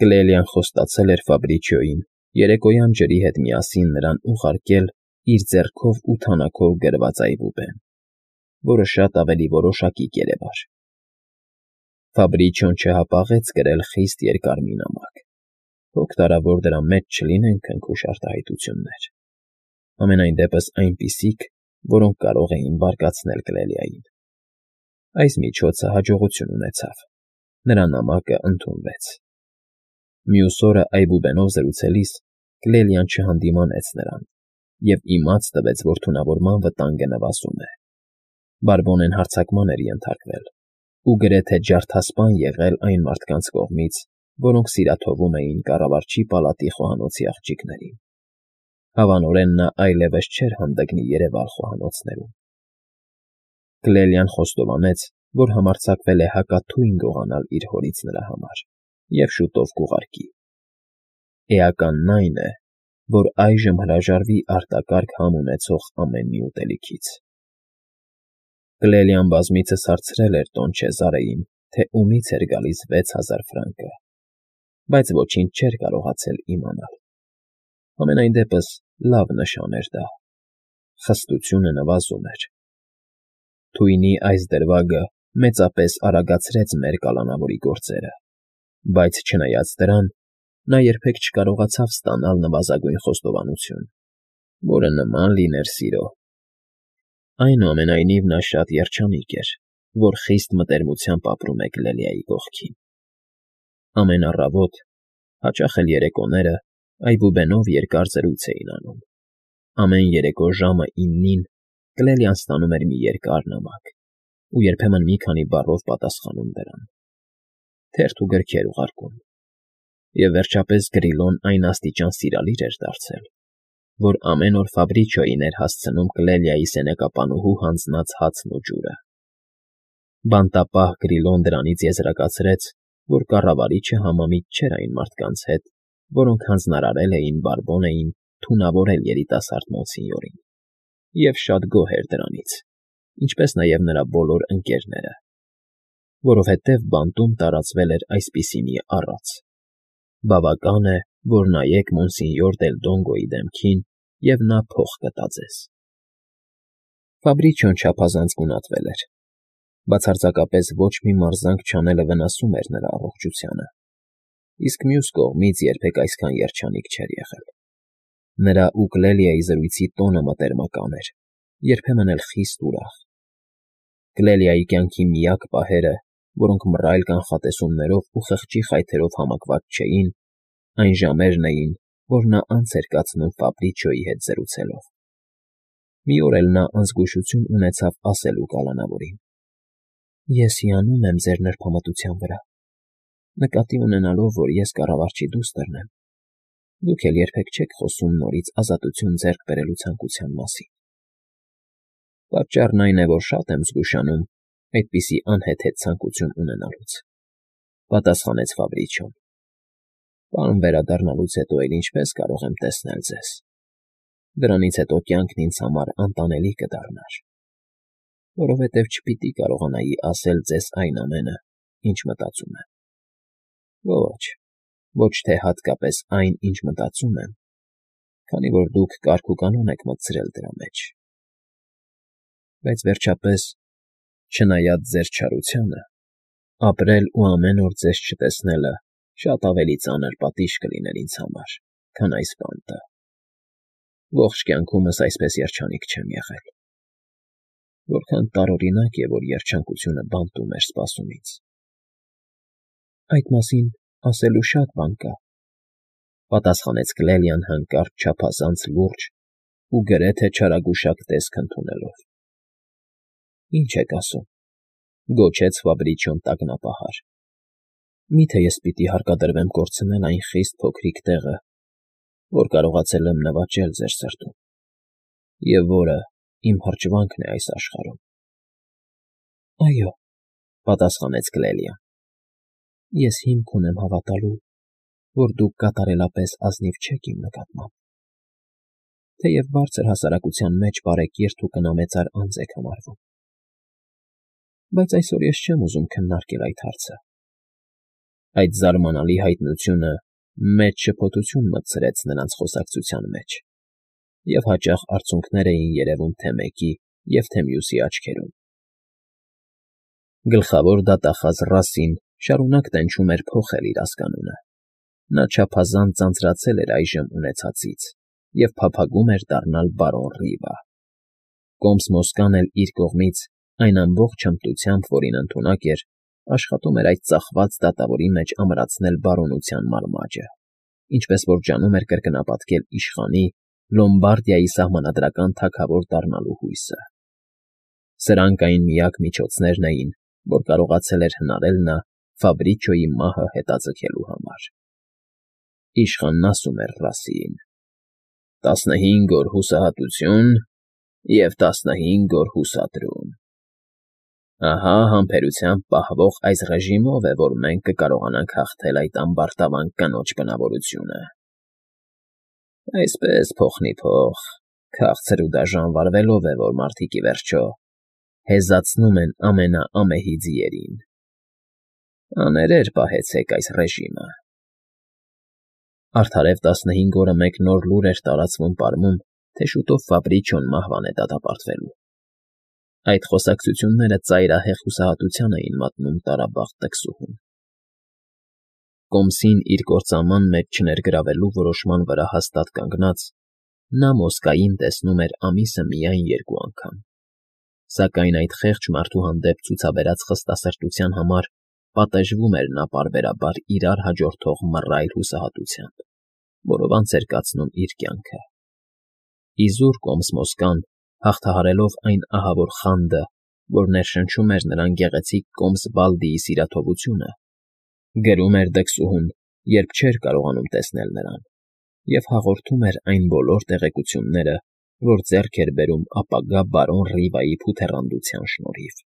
Կլելիան խոստացել էր Ֆաբրիչիոյին երեկոյան ջրի հետ միասին նրան ուղարկել իր ձեռքով ու թանաքով գրված այբուբեն, որը շատ ավելի որոշակի կերեվար։ Ֆաբրիչիոն չհապաղեց գրել խիստ երկար մի նամակ, հոգտարավոր դրա մեջ չլինեն քնքուշ արտահայտություններ, համենայն դեպս այնպիսիք, որոնք կարող էին բարկացնել Կլելիային։ Այս միջոցը հաջողություն ունեցավ, նրա նամակը ընդունվեց։ Մյուս օրը այբուբենով զրուցելիս Կլելիան չհանդիմանեց նրան և իմաց տվեց, որ թունավորման վտանգը նվազում է։ Բարբոնեն հարձակման էր ենթարկվել ու գրեթե ջարդասպան եղել այն մարդկանց կողմից, որոնք սիրաթովում էին կառավարչի պալատի խոհանոցի աղջիկներին։ Հավանորեն նա այլևս չէր հանդգնի երևալ խոհանոցներում։ Կլելիան խոստովանեց, որ համարձակվել է հակաթույն գողանալ իր հորից նրա համար և շուտով կուղարկի։ Էականն այն է, որ այժմ հրաժարվի արտակարգ համ ունեցող ամեն մի ուտելիքից։ Կլելիան բազմիցս հարցրել էր տոն Չեզարեին, թե ումից էր գալիս 6000 ֆրանկը, բայց ոչինչ չէր կարողացել իմանալ։ Համենայն դեպս լավ նշան էր դա։ Խստությունը նվազում էր։ Թույնի այս դրվագը մեծապես արագացրեց մեր կալանավորի գործերը, բայց չնայած դրան, նա երբեք չկարողացավ ստանալ նվազագույն խոստովանություն, որը նման լիներ սիրո։ Այնուամենայնիվ նա շատ երջանիկ էր, որ խիստ մտերմությամբ ապրում է Կլելիայի կողքին։ Ամեն առավոտ, հաճախ էլ երեկոները այբուբենով երկար զրույց էին անում։ Ամեն երեկո ժամը 9-ին Կլելիան ստանում էր մի երկար նամակ ու երբեմն մի քանի բառով պատասխանում դրան, թերթ ու գրքեր ուղարկում, և վերջապես Գրիլոն այն աստիճան սիրալիր էր դարձել, որ ամեն օր Ֆաբրիչիոյին էր հասցնում Կլելիայի սենյակապանուհու հանձնած հացն ու ջուրը։ Բանտապահ Գրիլոն դրանից եզրակացրեց, որ կառավարիչը համամիտ չէր այն մարդկանց հետ, որոնք հանձնարարել էին Բարբոնեին թունավորել երիտասարդ Մոնսինյորին, և շատ գոհ էր դրանից, ինչպես նաև նրա բոլոր ընկերները, որովհետև բանտում տարածվել էր այսպիսի մի առած. «Բավական է, որ նայեք Մոնսինյոր դել Դոնգոյի դեմքին, և նա փող կտա ձեզ»։ Ֆաբրիչիոն չափազանց գունատվել էր։ Բացարձակապես ոչ մի մարզանք չանելը վնասում էր նրա առողջությանը, իսկ մյուս կողմից երբեք այսքան երջանիկ չէր եղել։ Նրա ու Կլելիայի զրույցի տոնը մտերմական էր, երբեմն էլ խիստ ուրախ։ Կլելիայի կյանքի միակ պահերը, որոնք մռայլ կանխատեսումներով ու խղճի խայթերով համակված չէին, այն ժամերն էին, որ նա անց էր կացնում Ֆաբրիչիոյի հետ զրուցելով։ Մի օր էլ նա անզգուշություն ունեցավ ասելու կալանավորին. «Ես հիանում եմ ձեր նրբամտության վրա, նկատի ունենալով, որ ես կառավարչի դուստրն եմ, դուք էլ երբեք չեք խոսում նորից ազատություն ձեռք բերելու ցանկության մասին»։ Պատճառն այն է, որ շատ եմ զգուշանում այդպիսի անհեթեթ ցանկություն ունենալուց, պատասխանեց Ֆաբրիչիոն։ Բան վերադառնալուց հետո էլ ինչպես կարող եմ տեսնել ձեզ։ Դրանից հետո կյանքն ինձ համար անտանելի կդառնար, որովհետև չպիտի կարողանայի ասել ձեզ այն ամենը, ինչ մտածում եմ։ Ոչ թե հատկապես այն, ինչ մտածում եմ, քանի որ դուք կարգ ու կանոն եք մտցրել դրա մեջ։ Բայց վերջապես, չնայած ձեր չարությանը, ապրել ու ամեն օր ձեզ չտեսնելը շատ ավելի ծանր պատիժ կլիներ ինձ համար, քան այս բանտը։ Ողջ կյանքումս այսպես երջանիկ չեմ եղել։ Որքան տարօրինակ է, որ երջանկությունը բանտում էր սպասում ինձ։ Այդ մասին ասելու շատ բան կա, պատասխանեց Կլելիան հանկարծ չափազանց լուրջ ու գրեթե չարագուշակ տեսք ընդունելով։ Ինչ եք ասում,֊ գոչեց Ֆաբրիչիոն տագնապահար։ Մի՞թե ես պիտի հարկադրվեմ կորցնել այն խիստ փոքրիկ տեղը, որ կարողացել եմ նվաճել ձեր սրտում, և որը իմ հրճվանքն է այս աշխարհում։ Այո, պատասխանեց Կլելիան, ես հիմք ունեմ հավատալու, որ դուք կատարելապես ազնիվ չեք իմ նկատմամբ, թեև բարձր հասարակության մեջ բարեկիրթ ու կնամեծար անձ եք համարվում։ Բայց այսօր ես չեմ ուզում քննարկել այդ հարցը։ Այդ զարմանալի հայտնությունը մեծ շփոթություն մտցրեց նրանց խոսակցության մեջ, և հաճախ արցունքներ էին երևում թե մեկի և թե մյուսի աչքերում։ Գլխավոր դատախազ Ռասին շարունակ տենչում էր փոխել իր ազգանունը։ Նա չափազանց ձանձրացել էր այժմ ունեցածից և փափագում էր դառնալ բարոն Ռիվա։ Կոմս Մոսկան էլ իր կողմից այն ամբողջ հմտությամբ, որին ընդունակ էր, աշխատում էր այդ ծախված դատավորի մեջ ամրացնել բարոնության մարմաճը, ինչպես որ ջանում էր կրկնապատկել իշխանի Լոմբարդիայի սահմանադրական թագավոր դառնալու հույսը։ Սրանք այն միակ միջոցներն էին, որ կարողացել էր հնարել նա Ֆաբրիչոյի մահը հետաձգելու համար։ Իշխանն ասում էր Ռասիին. 15 օր հուսահատություն և 15 օր հուսադրում։ Ահա համբերությամբ պահվող այս ռեժիմով է, որ մենք կկարողանանք հաղթել այդ ամբարտավան կնոջ բնավորությունը։ Այսպես փոխնիփոխ, քաղցր ու դաժան վարվելով է, որ մարդիկ ի վերջո հեզացնում են ամենաամեհի ձիերին։ Աներեր պահեցեք այս ռեժիմը։ Արդարև 15 օրը մեկ նոր լուր էր տարածվում պարմում, թե շուտով Ֆաբրիչոն մահվան է դատապարտվելու։ Այդ խոսակցությունները ծայրահեղ հուսահատության էին մատնում տարաբաղ տկսուհուն։ Կոմսին իր կործանման մեջ չներգրավելու որոշման վրա հաստատ կանգնած, նա Մոսկային տեսնում էր ամիսը միայն 2 անգամ։ Սակայն այդ խեղճ մարդու հանդեպ ցուցաբերած խստասրտության համար պատժվում էր նա պարբերաբար իրար հաջորդող մռայլ հուսահատությամբ, որով անց էր կացնում իր կյանքը։ Իզուր Կոմս Մոսկան, հաղթահարելով այն ահավոր խանդը, որ ներշնչում էր նրան գեղեցիկ Կոմս Բալդիի սիրաթողությունը, գրում էր դքսուհուն, երբ չէր կարողանում տեսնել նրան, և հաղորդում էր այն բոլոր տեղեկությունները, որ ձեռք էր բերում ապագա բարոն Ռիվայի փութեռանդության շնորհիվ։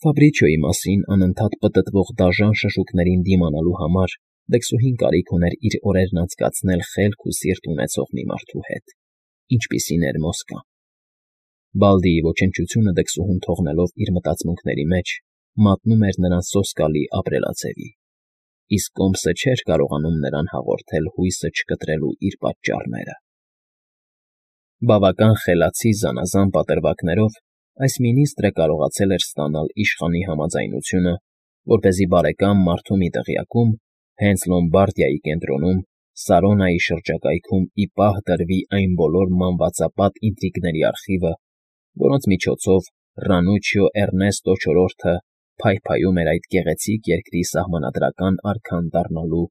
Ֆաբրիչոյի մասին անընդհատ պտտվող դաժան շշուկներին դիմանալու համար դքսուհին կարիք ուներ իր օրերն անցկացնել խելք ու սիրտ ունեցող մի մարդու հետ, ինչպիսին էր Մոսկան։ Բալդիի ոչնչությունը դքսուհուն թողնելով իր մտածմունքների մեջ, մատնում էր նրան սոսկալի ապրելաձևի, իսկ Կոմսը չէր կարողանում նրան հաղորդել հույսը չկտրելու իր պատճառները։ Բավական խելացի զանազան պատրվակներով այս մինիստրը կարողացել էր ստանալ իշխանի համաձայնությունը, որպեսզի բարեկամ մարդու մի տեղյակում, հենց Լոմբարդիայի կենտրոնում, Սարոնայի շրջակայքում ի պահ դրվի այն բոլոր մանվածապատ ինտրիգների արխիվը, որոնց միջոցով Ռանուչիո Էռնեստո IV-ը փայփայում էր այդ գեղեցիկ երկրի սահմանադրական արքան դառնալու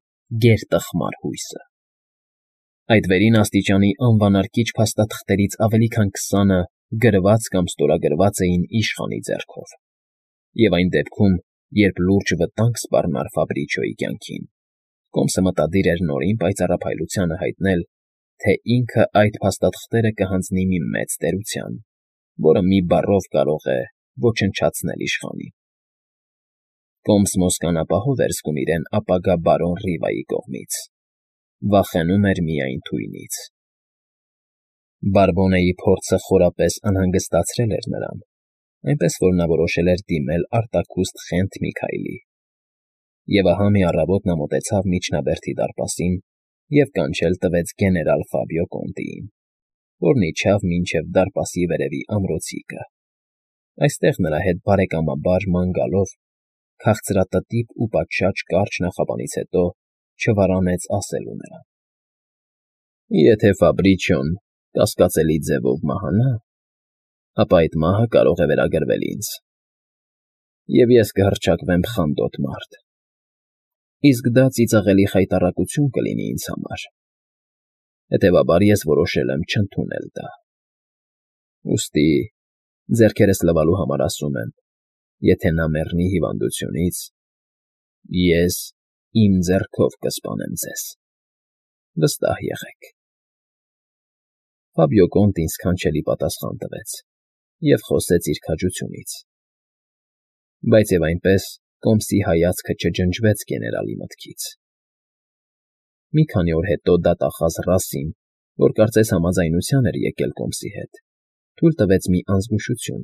գերտխմար հույսը։ Այդ վերին աստիճանի անվանարկիչ փաստաթղթերից ավելի քան 20-ը գրված կամ ստորագրված էին իշխանի ձեռքով։ Եվ այն դեպքում, երբ լուրջ վտանգ սպառնար Ֆաբրիչոյի կյանքին, Կոմսը մտադիր էր նորին պայծառափայլությանը հայտնել, թե ինքը այդ փաստաթղթերը կհանձնի մի մեծ տերության, որը մի բառով կարող է ոչնչացնել իշխանին։ Կոմս Մոսկան ապահով էր զգում իրեն ապագա բարոն Ռիվայի կողմից, վախենում էր միայն թույնից։ Բարբոնեի փորձը խորապես անհանգստացրել էր նրան, այնպես որ նա որոշել էր դիմել արտաքուստ Խենթ Միքայլի։ Եվ ահա մի առավոտ նա մոտեցավ Միջնաբերդի դարպասին և կանչել տվեց գեներալ Ֆաբիո Կոնտիին, որն իջավ մինչև դարպասի վերևի ամրոցիկը։ Այստեղ նրա հետ բարեկամաբար ման գալով, քաղցրատտիպ ու պատշաճ կարճ նախաբանից հետո չվարանեց ասելու նրան. Եթե Ֆաբրիչոն կասկածելի ձևով մահանա, ապա այդ մահը կարող է վերագրվել ինձ, և ես կհռչակվեմ խանդոտ մարդ, իսկ դա ծիծաղելի խայտառակություն կլինի ինձ համար, հետևաբար ես որոշել եմ չընդունել դա։ Ուստի, ձեռքերս լվալու համար ասում եմ, եթե նա մեռնի հիվանդությունից, ես իմ ձեռքով կսպանեմ ձեզ, վստահ եղեք։ Ֆաբիո Կոնտին սքանչելի պատասխան տվեց և խոսեց իր քաջությունից։ Բայց և այնպես Կոմսի հայացքը չջնջվեց գեներալի մտքից։ Մի քանի օր հետո դատախազ Ռասին, որ կարծես համաձայնության էր եկել Կոմսի հետ, թույլ տվեց մի անզգուշություն,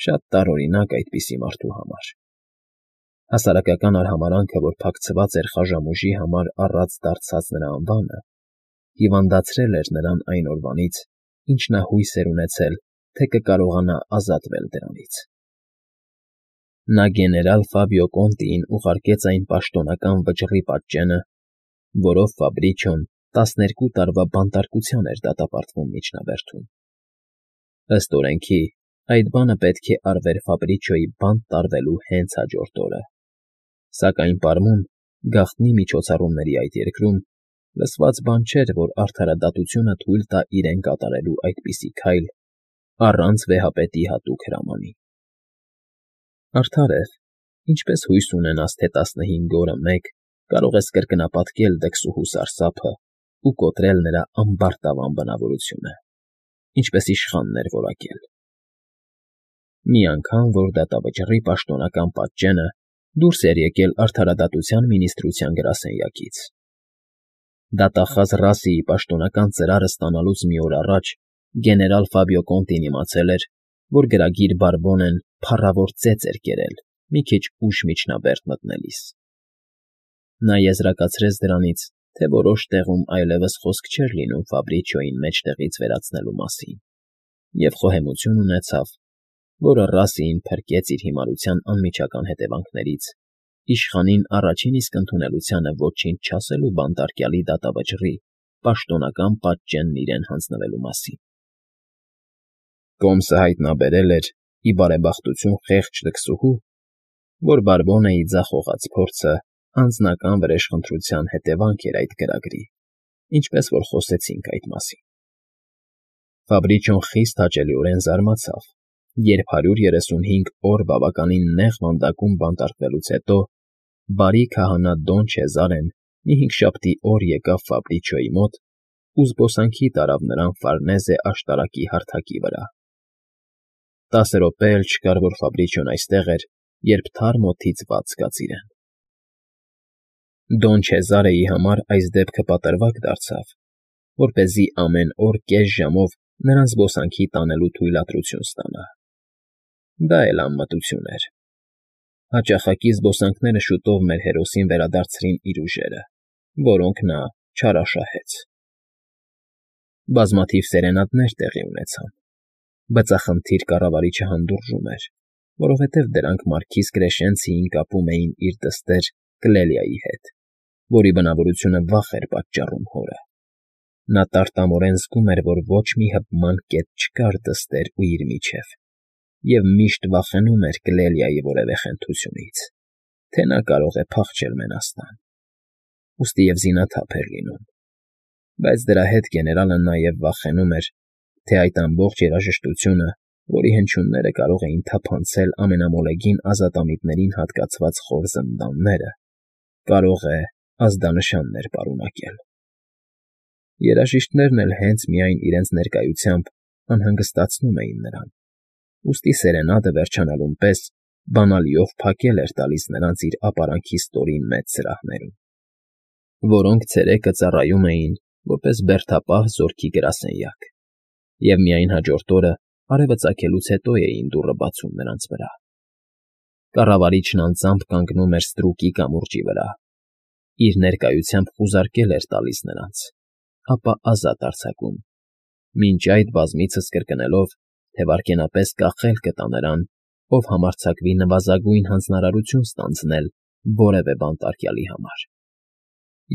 շատ տարօրինակ այդպիսի մարդու համար։ Հասարակական արհամարանքը, որ փակցված էր խաժամուժի համար առած դարձած նրա անվանը, հիվանդացրել էր նրան այն օրվանից, ինչ նա հույս էր ունեցել, թե կկարողանա ազատվել դրանից։ Նա գեներալ Ֆաբիո Կոնտիին ուղարկեց այն պաշտոնական վճռի պատճենը, որով Ֆաբրիչոն 12 տարվա բանտարկության էր դատապարտվում միջնաբերդում։ Ըստ օրենքի, այդ բանը պետք է արվեր Ֆաբրիչոյի բանտ տարվելու հենց հաջորդ օրը, սակայն պարմուն, գաղտնի միջոցառումների այդ երկրում, լսված բան չէր, որ արդարադատությունը թույլ տա իրեն կատարելու այդպիսի քայլ առանց վեհապետի հատուկ հրամանի։ Արդարև, ինչպես հույս ունենաս, թե 15 օրը մեկ կարող ես կրկնապատկել դքսուհու սարսափը ու կոտրել նրա ամբարտավան բնավորությունը, ինչպես իշխանն էր որակել։ Մի անգամ, որ դատավճռի պաշտոնական պատճենը դուրս էր եկել արդարադատության մինիստրության գրասենյակից։ Դատախազ Ռասիի պաշտոնական ծրարը ստանալուց մի օր առաջ գեներալ Ֆաբիո Կոնտին իմացել էր, որ գրագիր Բարբոնեն փառավոր ծեծ էր կերել մի քիչ ուշ միջնաբերդ մտնելիս։ Նա եզրակացրեց դրանից, թե որոշ տեղում այլևս խոսք չէր լինում Ֆաբրիչոյին մեջտեղից վերացնելու մասին, և խոհեմություն ունեցավ, որը Ռասիին փրկեց իր հիմարության անմիջական հետևանքներից, իշխանին առաջին իսկ ընդունելությանը ոչինչ չասելու բանտարկյալի դատավճռի պաշտոնական պատճենն իրեն հանձնվելու մասին։ Կոմսը հայտնաբերել էր, ի բարեբախտություն խեղճ դքսուհու, որ Բարբոնեի ձախողած փորձը անձնական վրեժխնդրության հետևանք էր այդ գրագրի, ինչպես որ խոսեցինք այդ մասին։ Ֆաբրիչոն խիստ հաճելիորեն զարմացավ, երբ 135 օր բավականին նեղ վանդակում բանտարկվելուց հետո բարի քահանա Դոն Չեզարեն մի հինգշաբթի օր եկավ Ֆաբրիչոյի մոտ ու զբոսանքի տարավ նրան Ֆարնեզե աշտարակի հարթակի վրա։ 10 րոպե էլ չկար, որ Ֆաբրիչոն այստեղ էր, երբ թարմ օդից բաց զգաց իրեն։ Դոն Չեզարեի համար այս դեպքը պատրվակ դարձավ, որպեսզի ամեն օր կես ժամով նրան զբոսանքի տանելու թույլատրություն ստանա։ Դա էլ անմտություն էր։ Հաճախակի զբոսանքները շուտով մեր հերոսին վերադարձրին իր ուժերը, որոնք նա չարաշահեց։ Բազմաթիվ սերենադներ տեղի ունեցան։ Բծախնդիր կառավարիչը հանդուրժում էր, որովհետև դրանք մարքիզ Կրեշենցիին կապում էին իր դստեր Կլելիայի հետ, որի բնավորությունը վախ էր պատճառում հորը։ Նա տարտամորեն զգում էր, որ ոչ մի հպման կետ չկար դստեր ու իր միջև, և միշտ վախենում էր Կլելիայի որևէ խենթությունից, թե նա կարող է փախչել մենաստան, ուստի և զինաթափ էր լինում։ Բայց դրա հետ գեներալը նաև վախենում էր, թե այդ ամբողջ երաժշտությունը, որի հնչյունները կարող էին թափանցել ամենամոլեգին ազատամիտներին հատկացված խոր զնդանները, կարող է ազդանշաններ պարունակել։ Երաժիշտներն էլ հենց միայն իրենց ներկայությամբ անհանգստացնում էին նրան, ուստի սերենադը վերջանալուն պես բանալիով փակել էր տալիս նրանց իր ապարանքի ստորին մեծ սրահներում, որոնք ցերեկը ծառայում էին որպես բերդապահ զորքի գրասենյակ, և միայն հաջորդ օրը արևը ծագելուց հետո էին դուռը բացում նրանց վրա։ Կառավարիչն անձամբ կանգնում էր ստրուկի կամուրջի վրա, իր ներկայությամբ խուզարկել էր տալիս նրանց, ապա ազատ արձակում, մինչ այդ բազմիցս կրկնելով, թե վայրկենապես կախել կտա նրան, ով համարձակվի նվազագույն հանձնարարություն ստանձնել որևէ բանտարկյալի համար։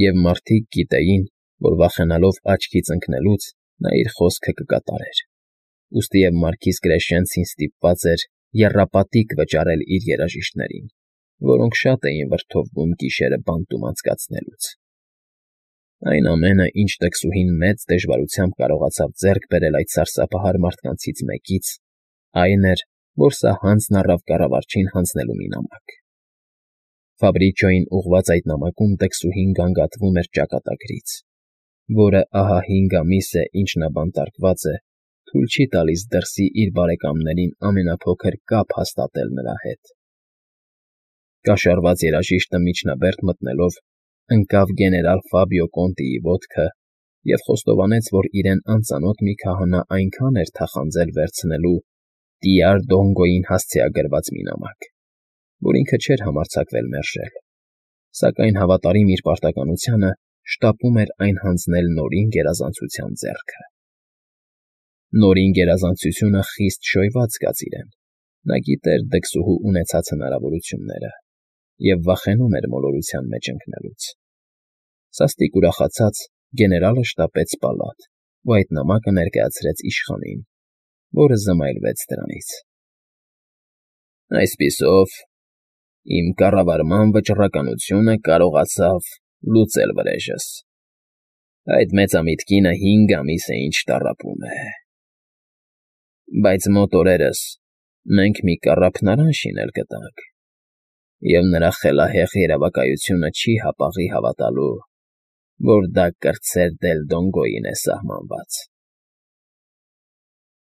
Եվ մարդիկ գիտեին, որ վախենալով աչքից ընկնելուց նա իր խոսքը կկատարեր, ուստի և մարքիզ Կրեշենցին ստիպված էր եռապատիկ վճարել իր երաժիշտներին, որոնք շատ էին վրդովվում գիշերը բանտում անցկացնելուց։ Այն ամենը, ինչ դքսուհին մեծ դժվարությամբ կարողացավ ձեռք բերել այդ սարսափահար մարդկանցից մեկից, այն էր, որ սա հանձն առավ կառավարչին հանձնելու մի նամակ։ Ֆաբրիչոյին ուղղված այդ նամակում դքսուհին գանգատվում էր ճակատագրից, որը ահա 5 ամիս է, ինչ նա բանտարկված է, թույլ չի տալիս դրսի իր բարեկամներին ամենափոքր կապ հաստատել նրա հետ։ Կաշառված երաժիշտը միջնաբերդ մտնելով ընկավ գեներալ Ֆաբիո Կոնտիի ոտքը և խոստովանեց, որ իրեն անծանոթ մի քահանա այնքան էր թախանձել վերցնելու Տիար Դոնգոյին հասցեագրված մի նամակ, որ ինքը չէր համարձակվել մերժել, սակայն հավատարիմ իր պարտականությանը շտապում էր այն հանձնել Նորին գերազանցության ձեռքը։ Նորին գերազանցությունը խիստ շոյված զգաց իրեն, նա գիտեր դքսուհու ունեցած հնարավորությունները և վախենում էր մոլորության մեջ ընկնելուց։ Սաստիկ ուրախացած՝ գեներալը շտապեց պալատ ու այդ նամակը ներկայացրեց իշխանին, որը զմայլվեց դրանից։ Այսպիսով, իմ կառավարման վճռականությունը կարողացավ լուծել վրեժս։ Այդ մեծամիտ կինը 5 ամիս է ինչ տառապում է։ Բայց մոտ օրերս մենք մի կառափնարան շինել կտանք, և նրա խելահեղ երևակայությունը չի հապաղի հավատալու, որ դա կրտսեր Դելդոնգոյին է սահմանված։